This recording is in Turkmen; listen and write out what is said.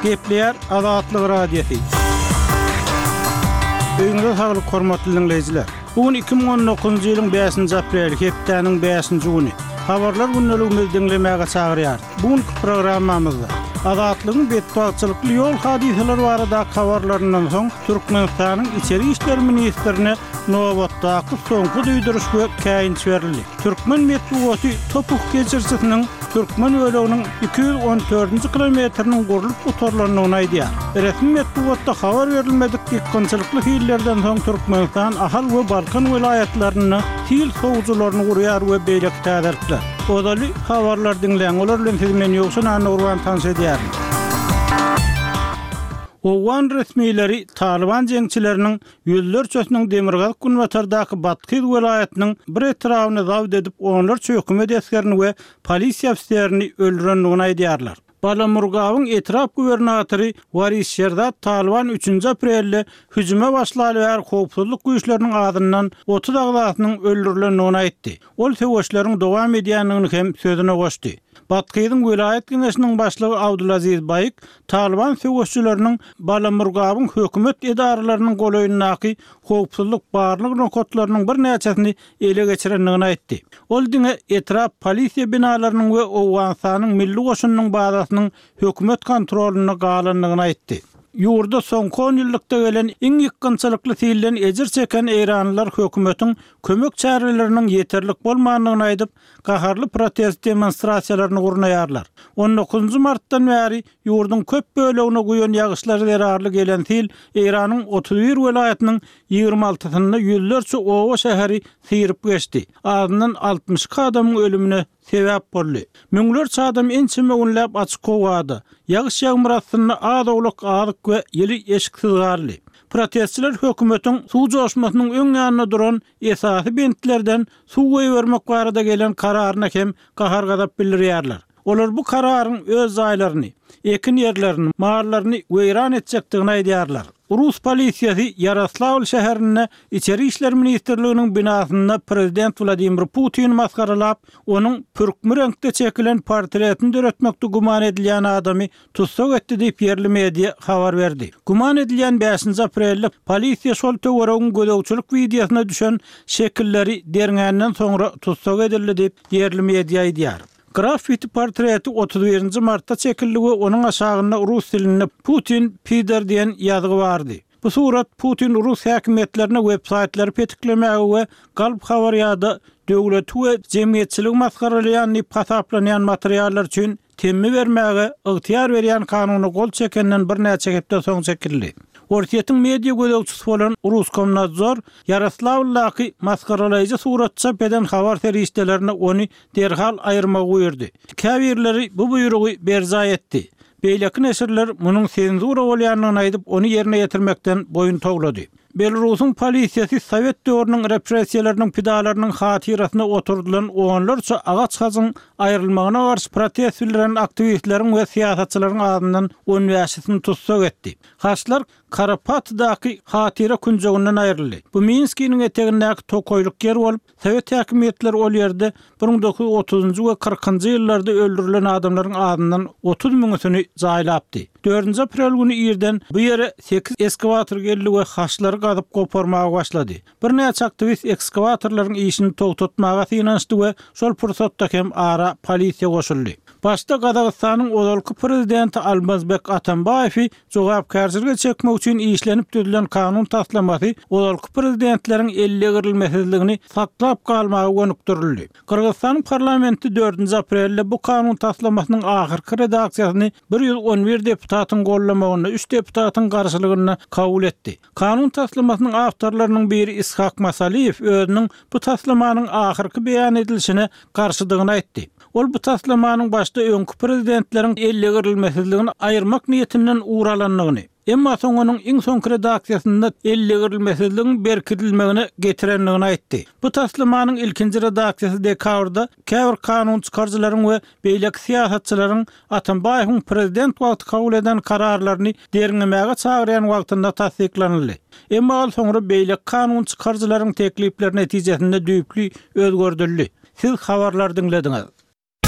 Gepleýär Azatlyk Radiosy. Öýüňize saglyk hormatly diňleýjiler. Bu gün 2019-njy ýylyň 5-nji apreli, hepdäniň 5-nji güni. Habarlar gündeligimizi diňlemäge çagyrýarys. Bu günki programmamyzda Azatlygyň betbagtçylykly ýol hadysalary baradaky habarlaryndan soň Türkmenistanyň Içeri işler ministrine nobatdaky soňky duýduryş we käýinç berildi. Türkmen metbugaty Topuh geçirijisiniň türkmen böleginiň 214-nji kilometriniň gurlup gutarylandygyny aýdýar. Resmi metbugatda habar berilmedik ýykgynçylykly sillerden soň Türkmenistan Ahal we Balkan welaýatlarynda sil sowujylaryny gurýar we beýleki täzelikler. Ozaly habarlary diňläň, olar bilen sizi men Ýowşan Annagurban tanyş edýärin. Owgan resmileri Talyban jeňçileriniň ýüzlerçesiniň demirgazyk-günbatardaky Bathyz welaýatynyň bir etrabyny zabt edip onlarça hökümet esgerini we polisiýa ofiserini öldürendigini aýdýarlar. Balamurgabyň etrap gubernatory Waris Şerzad Talyban üçünji aprelde hüjüme başlaly bäri howpsuzlyk güýçleriniň azyndan 30 agzasynyň öldürilendigini aýtdy. Ol söweşleriň dowam edýändigini hem sözüne goşdy. Bathyzyň welaýat geňeşiniň başlygy Abdulaziz Baýik Talyban söweşçileriniň Balamurgabyň hökümet edaralarynyň golaýyndaky howpsuzlyk barlag nokatlarynyň birnäçesini ele geçirendigini aýtdy. Ol diňe etrap polisiýa binalarynyň we Owganystanyň milli goşunynyň bazasynyň hökümet kontrolynda galandygyny aýtdy. Ýurda soňky onýyllykda gelen iň ýykgynçylykly silden ejir çeken eýranlylar hökümetiň kömek çäreleriniň ýeterlik bolmandygyny aýdyp, gaharly protest demonstrasiýalaryny gurnaýarlar. On dokuzynjy martdan bäri ýurduň köp bölegine guýan ýagyşlar zerarly gelen sil Eýranyň 31 welaýatynyň 26-synda ýüzlerçe oba-şäheri syryp geçdi, azyndan 62 adamyň ölümine sebäp boldy. Müňlerçe adam ençeme günläp açyk howada, ýagyş-ýagmyr astynda az-owlak azyk we ýyly eşiksiz galdy. Protestçiler hökümetiň suw joşmasynyň öň ýanynda duran esasy bentlerden suw goýbermek barada gelen kararyna hem gahar-gazap bildirýärler. Olar bu kararyň öz jaýlaryny, ekin ýerlerini, mallaryny weýran etjekdigini aýdýarlar. Rus polisiýasy Ýaroslawl şäherinde Içeri işler ministrliginiň binasynda prezident Wladimir Putini masgaralap, onuň pürkmi reňkde çekilen portretini döretmekde güman edilýän adamy tussag etdi diýip, ýerli media habar berdi. Güman edilýän bäşinji aprelde polisiýa şol töweregiň gözegçilik wideosyna düşen şekilleri derňänden soňra tussag edildi diýip, ýerli media aýdýar. Graffiti portreti 31 nji martda çekildi we onuň aşagynda rus dilinde Putin, pidor diýen ýazgy bardy. Bu surat Putin rus häkimiýetlerine websaýtlary petiklemäge we galp habar ýa-da döwleti we jemgyýetçiligi masgaralaýan diýip hasaplanýan materiallar üçin temmi bermäge ygtyýar berýän kanuna gol çekenden birnäçe hepde soň çekildi. Orsýetiň media gözegçisi bolan Ruskomnadzor Ýaroslawldaky masgaralaýjy surat çap eden habar serişdelerine ony derhal aýyrmagy buýurdy. Käbirleri bu buýrugy berjaý etdi. Beýleki neşirler munuň senzura bolýandygyny aýdyp, ony ýerine ýetirmekden boýun towlady. Belarusyň polisiýasy sowet döwrüniň repressiýalarynyň pidalarynyň hatyrasyna oturdylan onlarça agaç hajyň aýrylmagyna garşy protest bildiren aktiwistleriň we syýasatçylaryň azyndan on bäşisini tussag etdi. Haçlar Karapatydaky hatyra künjeginden aýryldy. Bu Minskiniň etegindäki tokaýlyk ýer bolup, Sowet häkimiýetleri ol ýerde 1930-njy we kyrkynjy ýyllarda öldürilen adamlaryň azyndan 30 müňüsini jaýlapdy. Dördünji aprel güni irden bu ýere sekiz eskawator geldi we haçlary gazyp goparmaga başlady. Birnäçe aktiwist ekskawatorlaryň işini togtatmaga synanyşdy we şol pursatda hem ara polisiýa goşuldy. Başda Gazagystanyň ozalky prezidenti Almazbek Atambaýewi Jogapkärçilige çekmek üçin işlenip düzülen kanun taslamasy ozalky prezidentleriň ellegirilmesizligini saklap galmaga gönükdirildi. Gyrgyzystanyň parlamenti dördünji aprelde bu kanun taslamasynyň ahyrky redaksiýasyny 111 deputatyň gollamagynda, üç deputatyň garşylygynda kabul etdi. Kanun taslamasynyň awtorlarynyň biri Ishak Masaliýew özüniň bu taslamanyň ahyrky beýan edilişine garşydygyny aýtdy. Ol bu taslamanyň başda öňki prezidentleriň ellegirilmesizligini aýyrmak niýetinden ugur alandygyny, emma soň onuň iň soňky redaksiýasynda ellegirilmesizligiň berkidilmegine getirendigini aýtdy. Bu taslamanyň ilkinji redaksiýasy dekabrda käbir kanun çykaryjylaryň we beýleki syýasatçylaryň Atambaýewiň prezident wagty kabul eden kararlaryny derňemäge çagyrýan wagtynda tassyklanyldy. Emma ol soňra beýleki kanun çykaryjylaryň teklipleri netijesinde düýpli özgerdildi. Siz habarlary diňlediňiz.